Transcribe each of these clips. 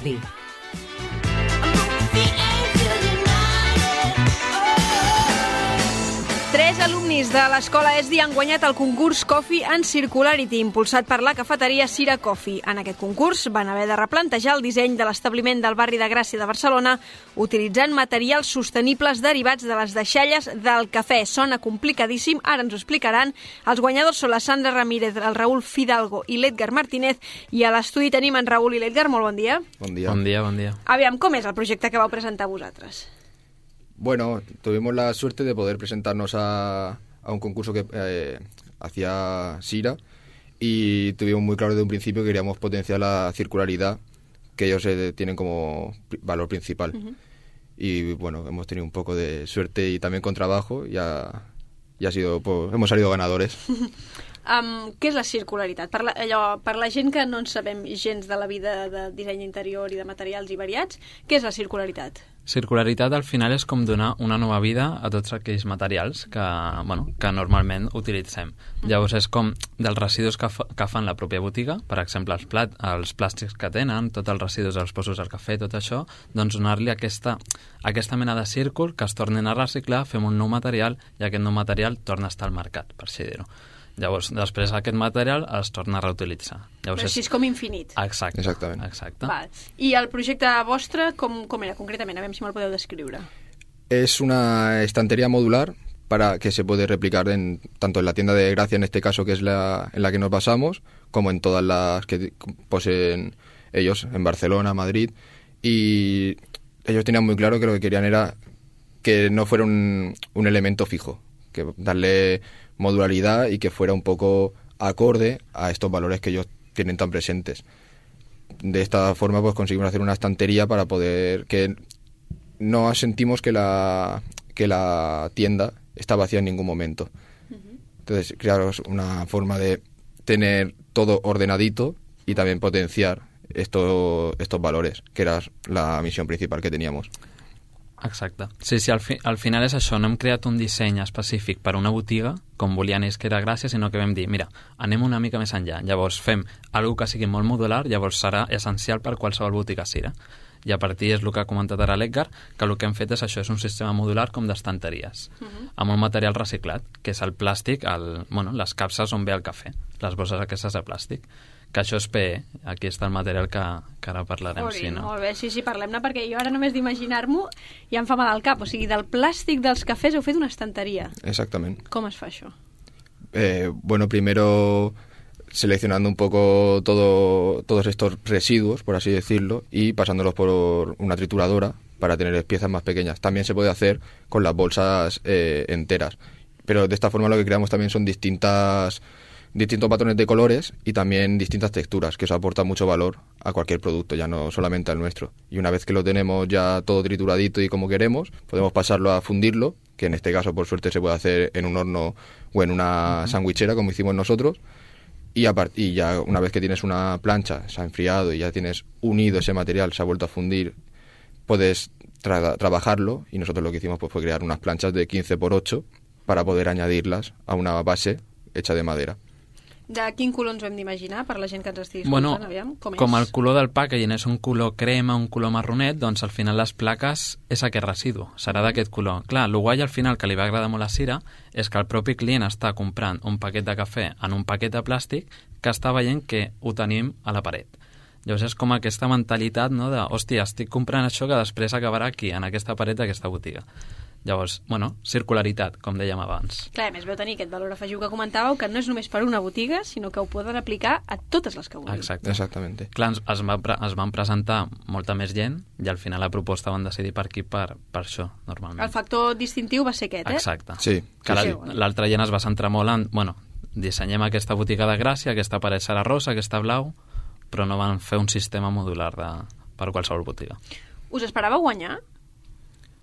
Coffee. Tres alumnis de l'escola ESDI han guanyat el concurs Coffee and Circularity, impulsat per la cafeteria Cira Coffee. En aquest concurs van haver de replantejar el disseny de l'establiment del barri de Gràcia de Barcelona utilitzant materials sostenibles derivats de les deixalles del cafè. Sona complicadíssim, ara ens ho explicaran. Els guanyadors són la Sandra Ramírez, el Raúl Fidalgo i l'Edgar Martínez, i a l'estudi tenim en Raúl i l'Edgar. Molt bon dia. Bon dia. Bon dia, bon dia. Aviam, com és el projecte que vau presentar vosaltres? Bueno, tuvimos la suerte de poder presentarnos a un concurso que hacía Cira y tuvimos muy claro desde un principio que queríamos potenciar la circularidad que ellos tienen como valor principal. Y bueno, hemos tenido un poco de suerte y también con trabajo y ha sido, pues, hemos salido ganadores. Què és la circularitat? Per la gent que no en sabem gens de la vida de disseny interior i de materials i variats, què és la circularitat? Circularitat al final és com donar una nova vida a tots aquells materials que normalment utilitzem. Llavors és com dels residus que fan la pròpia botiga, per exemple els plàstics que tenen, tots els residus dels posos del cafè, tot això, doncs donar-li aquesta mena de círcul que es tornin a reciclar, fem un nou material i aquest nou material torna a estar al mercat, per així dir-ho. Llavors, després aquest material es torna a reutilitzar. Llavors, però així és com infinit. Exacte. Exactament. Exacte. Val. I el projecte vostre, com era concretament? A veure si me'l podeu descriure. Es una estantería modular para que se puede replicar tanto en la tienda de Gracia, en este caso, que es en la que nos basamos, como en todas las que poseen ellos, en Barcelona, Madrid. Y ellos tenían muy claro que lo que querían era que no fuera un elemento fijo, que darle modularidad y que fuera un poco acorde a estos valores que ellos tienen tan presentes. De esta forma pues conseguimos hacer una estantería para poder que no sentimos que la tienda está vacía en ningún momento. Entonces, crearos una forma de tener todo ordenadito y también potenciar estos valores, que era la misión principal que teníamos. Exacte. Sí, al final és això, no hem creat un disseny específic per a una botiga, com volien ells que era Gràcia, sinó que vam dir, mira, anem una mica més enllà. Llavors fem alguna que sigui molt modular, llavors serà essencial per qualsevol botiga Cira. I a partir és el que ha comentat ara l'Edgar, que el que hem fet és això, és un sistema modular com d'estanteries, amb un material reciclat, que és el plàstic, les capses on ve el cafè, les bosses aquestes de plàstic, que això és PE, aquí està el material que ara parlarem. Sí, no? Molt bé, sí, parlem-ne, perquè jo ara només d'imaginar-m'ho ja em fa mal al cap. O sigui, del plàstic dels cafès heu fet una estanteria. Exactament. Com es fa això? Bueno, primero seleccionando un poco todos estos residuos, por así decirlo, y pasándolos por una trituradora para tener piezas más pequeñas. También se puede hacer con las bolsas enteras, pero de esta forma lo que creamos también son distintos patrones de colores y también distintas texturas, que eso aporta mucho valor a cualquier producto, ya no solamente al nuestro. Y una vez que lo tenemos ya todo trituradito y como queremos, podemos pasarlo a fundirlo, que en este caso por suerte se puede hacer en un horno o en una sandwichera como hicimos nosotros, y ya una vez que tienes una plancha, se ha enfriado y ya tienes unido ese material, se ha vuelto a fundir, puedes trabajarlo, y nosotros lo que hicimos pues fue crear unas planchas de 15x8 para poder añadirlas a una base hecha de madera. De quin color ens ho hem d'imaginar per la gent que ens estigui escoltant? Aviam, com el color del packaging és un color crema, un color marronet, doncs al final les plaques és aquest residu, serà d'aquest color. Clar, el guai al final que li va agradar molt a Cira és que el propi client està comprant un paquet de cafè en un paquet de plàstic que està veient que ho tenim a la paret. Llavors és com aquesta mentalitat, no, de, hòstia, estic comprant això que després acabarà aquí, en aquesta paret d'aquesta botiga. Llavors, circularitat, com dèiem abans. Clar, a més veu tenir aquest valor afegiu que comentàveu, que no és només per una botiga, sinó que ho poden aplicar a totes les que vulguin. Exacte. Exactamente. Clar, es van presentar molta més gent i al final la proposta van decidir per aquí per això, normalment. El factor distintiu va ser aquest, Exacte. Sí. Que l'altra gent es va centrar molt en, dissenyem aquesta botiga de Gràcia, aquesta paret serà rosa, aquesta blau, però no van fer un sistema modular per qualsevol botiga. Us esperàveu guanyar?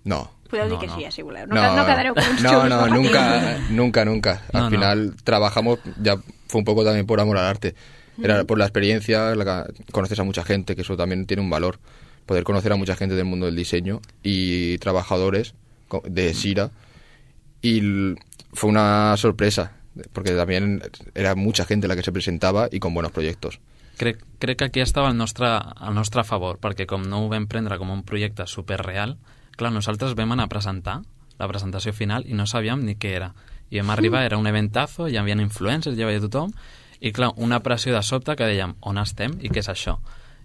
No. Podeu dir que sí, si voleu. No quedareu con uns xurros. No, nunca. Al final trabajamos, ya fue un poco también por amor al arte. Era por la experiencia, conoces a mucha gente, que eso también tiene un valor. Poder conocer a mucha gente del mundo del diseño y trabajadores de Cira. Y fue una sorpresa, porque también era mucha gente la que se presentaba y con buenos proyectos. Crec que aquí estava al nostre favor, perquè com no ho vam prendre com un projecte superreal, clar, nosaltres vam anar a presentar la presentació final i no sabíem ni què era. I vam arribar, era un eventazo, hi havia influencers, hi havia tothom, i clar, una pressió de sobte que dèiem, on estem i què és això?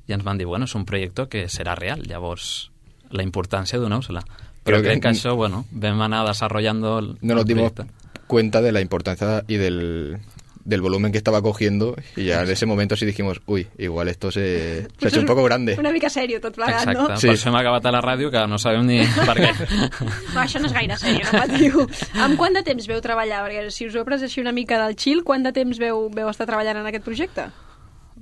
I ens van dir, bueno, és un projecte que serà real, llavors la importància doneu-se-la. Però crec que això, bueno, vam anar desarrollando el no nos dimos proyecto. Cuenta de la importancia y del volumen que estaba cogiendo, y ya en ese momento sí dijimos, uy, igual esto se ha hecho un poco grande. Una mica sèrio tot plegat, Exacte, no? Sí. Per això hem acabat a la ràdio, que no sabem ni per què. No, això no és gaire sèrio, no patiu. Amb quant de temps veu treballar? Perquè si us heu pres així una mica del chill, quant de temps veu estar treballant en aquest projecte?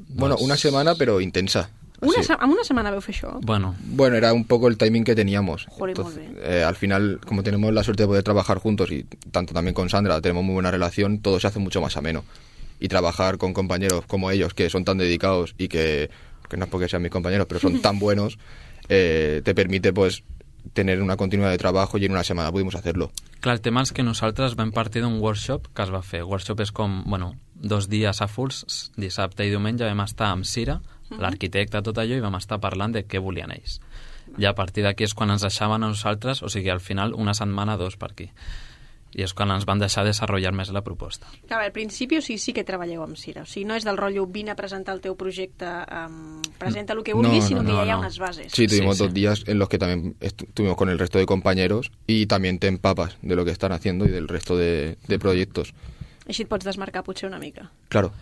Bueno, una semana, pero intensa. Sí. Amb una setmana veu fer això? Bueno, Bueno, era un poco el timing que teníamos. Joder, Entonces, muy bien. al final, como tenemos la suerte de poder trabajar juntos y tanto también con Sandra tenemos muy buena relación, todo se hace mucho más ameno. Y trabajar con compañeros como ellos, que son tan dedicados y que no es porque sean mis compañeros, pero son tan buenos, te permite pues tener una continuidad de trabajo, y en una semana pudimos hacerlo. clar, el tema és que nosaltres vam partir d'un workshop que es va fer. Workshop és com, bueno, 2 dies a fulls, dissabte i diumenge vam estar amb Cira, l'arquitecte, tot allò, i vam estar parlant de què volien ells. I a partir d'aquí és quan ens deixaven a nosaltres, o sigui, al final, una setmana, 2 per aquí. I és quan ens van deixar desenvolupar més la proposta. Clar, al principi, o sigui, sí que treballeu amb Cira. O sigui, no és del rotllo, vine a presentar el teu projecte, presenta el que vulguis, sinó que ja hi ha unes bases. Sí, tuvimos Sí, 2 días en los que también estuvimos con el resto de compañeros y también te empapas de lo que están haciendo y del resto de proyectos. Així et pots desmarcar potser una mica. Claro.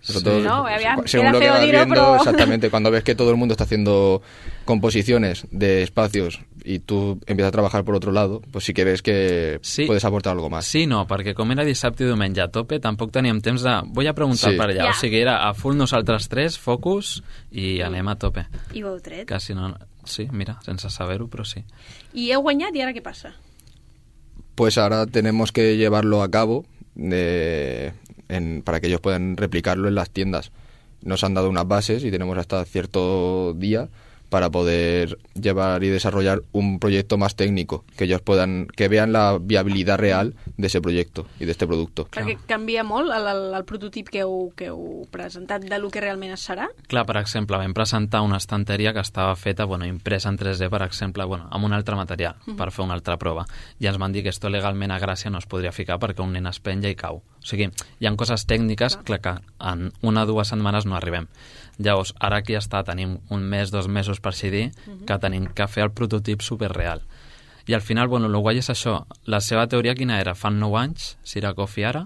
Sí, no, aviam, según queda lo que feo vas dir-ho, viendo, però... exactamente, cuando ves que todo el mundo está haciendo composiciones de espacios y tú empiezas a trabajar por otro lado, pues sí que ves que Sí. puedes aportar algo más. Sí, no, perquè com era dissabte i diumenge a tope, tampoc teníem temps de... Vull a preguntar Sí. per allà. Ja. O sigui, era a full nosaltres 3, focus, i anem a tope. I ho heu tret. Quasi no... Sí, mira, sense saber-ho, però sí. I heu guanyat, i ara què passa? Pues ahora tenemos que llevarlo a cabo para que ellos puedan replicarlo en las tiendas. Nos han dado unas bases y tenemos hasta cierto día para poder llevar y desarrollar un proyecto más técnico, que ellos que vean la viabilidad real de ese proyecto y de este producto. Perquè canvia molt el prototip que heu presentat de lo que realment es serà? Clar, per exemple, vam presentar una estanteria que estava feta, bueno, impresa en 3D, per exemple, bueno, amb un altre material, per fer una altra prova. I ens van dir que esto legalment a Gràcia no es podria ficar perquè un nen es penja i cau. O sigui, hi ha coses tècniques que en 1 o 2 setmanes no arribem. Llavors, ara aquí tenim 1 mes, 2 mesos per així dir, que tenim que fer el prototip superreal. I al final, bueno, el guai és això. La seva teoria quina era? Fan 9 anys, Cira Coffee ara,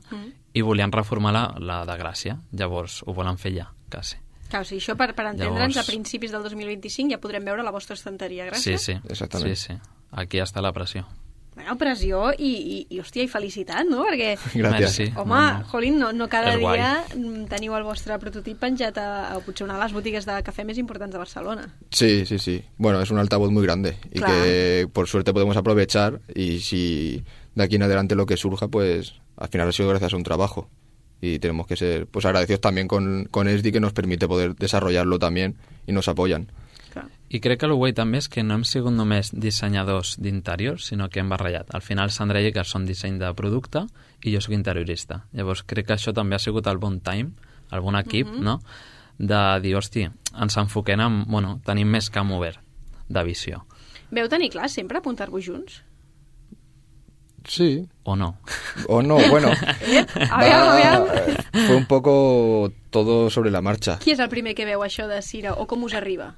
i volien reformar la de Gràcia. Llavors, ho volen fer ja, quasi. Clar, o sigui, això per entendre'ns, Llavors- a principis del 2025 ja podrem veure la vostra estanteria, gràcies. Sí, sí. Exactament. Sí, sí. Aquí està la pressió. Bueno, pressió i hòstia, i felicitat, no? Perquè, Gracias. Merci. home, No. jolín, no cada És guai. dia teniu el vostre prototip penjat a potser una de les botigues de cafè més importants de Barcelona. Sí, sí, sí. Bueno, es un altavoz muy grande y Claro. que por suerte podemos aprovechar, y si de aquí en adelante lo que surja, pues al final ha sido gracias a un trabajo. Y tenemos que ser pues agradecidos también con ESDI, que nos permite poder desarrollarlo también y nos apoyan. Clar. I crec que el guai també és que no hem sigut només dissenyadors d'interiors, sinó que hem barrellat. Al final, Sandra i Iker són disseny de producte i jo sóc interiorista. Llavors, crec que això també ha sigut el bon time, el bon equip, no?, de dir, hosti, ens enfoquem en... Bueno, tenim més camp obert de visió. Veu tenir clar sempre apuntar-vos junts? Sí. O no? O no, bueno. Aviam. Fue un poco todo sobre la marcha. Qui és el primer que veu això de Cira o com us arriba?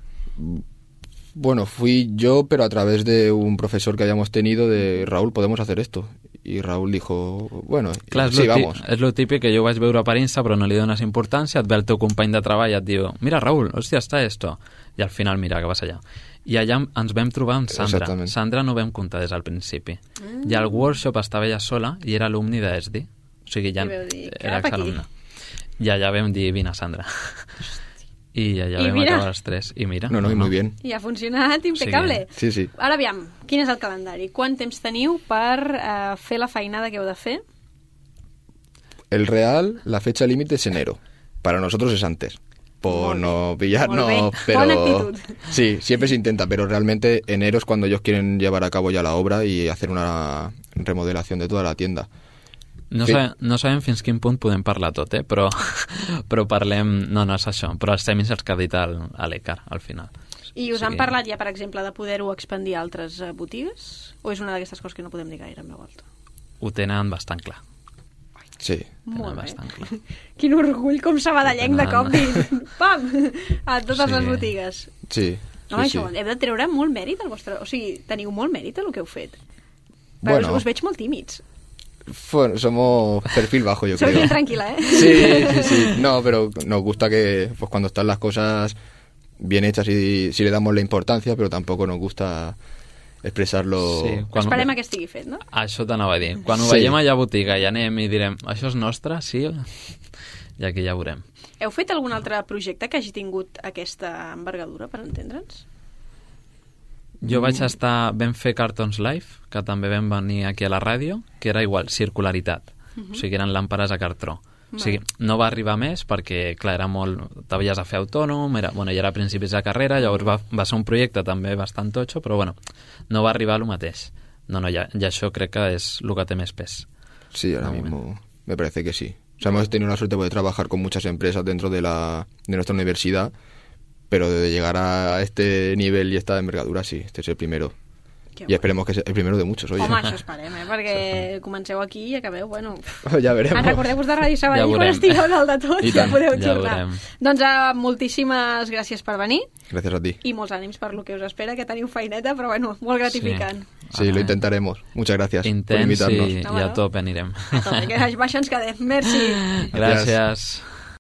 Bueno, fui yo, pero a través de un profesor que hayamos tenido, de Raúl, ¿podemos hacer esto? Y Raúl dijo, bueno, Clar, sí, vamos. És lo típic que jo vaig veure per Insta però no li dones importància, et ve el teu company de treball i et diu, mira Raúl, hòstia, està esto. I al final, mira, que vas allà. I allà ens vam trobar amb Sandra. Exactament. Sandra no vam comptar des del principi. I al workshop estava ella sola i era alumni d'ESDI. O sigui, ja I veu dir, era cap aquí. exalumna. I allà vam dir, vine, Sandra. I allà I vam mira. acabar els 3. I mira. No, y muy bien. I ha funcionat impecable. Sí, sí. Ara aviam, quin és el calendari? Quant temps teniu per fer la feinada que heu de fer? El real, la fecha límite es enero. Para nosotros es antes. Por Molt no bé. pillarnos, Molt bé. pero... Bona actitud. Sí, siempre se intenta, pero realmente enero es cuando ellos quieren llevar a cabo ya la obra y hacer una remodelación de toda la tienda. No sabem fins quin punt podem parlar tot, però parlem... No és això, però els semis els que ha dit l'Ecar, al final. I us han parlat ja, per exemple, de poder-ho expandir a altres botigues? O és una d'aquestes coses que no podem dir gaire en veu alta? Ho tenen bastant clar. Sí. Molt bé. Bastant clar. Quin orgull, com sabadellenc de cop, pam, a totes les botigues. Sí. Home, això, heu de treure molt mèrit al vostre... O sigui, teniu molt mèrit el que heu fet. Però Bueno. us veig molt tímids. Bueno, somos perfil bajo, yo Soy creo. bien tranquila, ¿eh? Sí. No, pero nos gusta que pues cuando están las cosas bien hechas y si le damos la importancia, pero tampoco nos gusta expressar-lo... Sí, Esperem que estigui fet, no? Això t'anava a dir. Quan ho Sí. veiem allà a botiga i anem i direm això és nostre, sí? I aquí ja veurem. Heu fet algun altre projecte que hagi tingut aquesta envergadura, per entendre'ns? Jo vaig estar... Vam fer Cartons Live, que també vam venir aquí a la ràdio, que era igual, circularitat. O sigui, eren làmperes a cartró. O sigui, no va arribar més perquè, clar, era molt... T'havies de fer autònom, ja era a principis de carrera, llavors va ser un projecte també bastant totxo, però bueno, no va arribar a lo mateix. No, i això crec que és el que té més pes. Sí, ahora mismo me parece que sí. O sea, hemos tenido la suerte de poder trabajar con muchas empresas dentro de nuestra universidad, pero de llegar a este nivel y esta envergadura, sí, este es el primero. I esperemos que sigui el primero de muchos, oye. Home, això esperem, perquè comenceu aquí i acabeu, bueno... Ja veremos. Recordeu-vos de Ràdio Sabadell quan veurem. estigueu dalt de tot, ja podeu Ja tornar. veurem. Doncs moltíssimes gràcies per venir Gracias a ti. i molts ànims per lo que us espera, que teniu feineta, però bueno, molt gratificant. Sí, lo intentaremos. Muchas gracias por Intens invitarnos. i a tope anirem. Que baix ens quedem. Merci. Gràcies.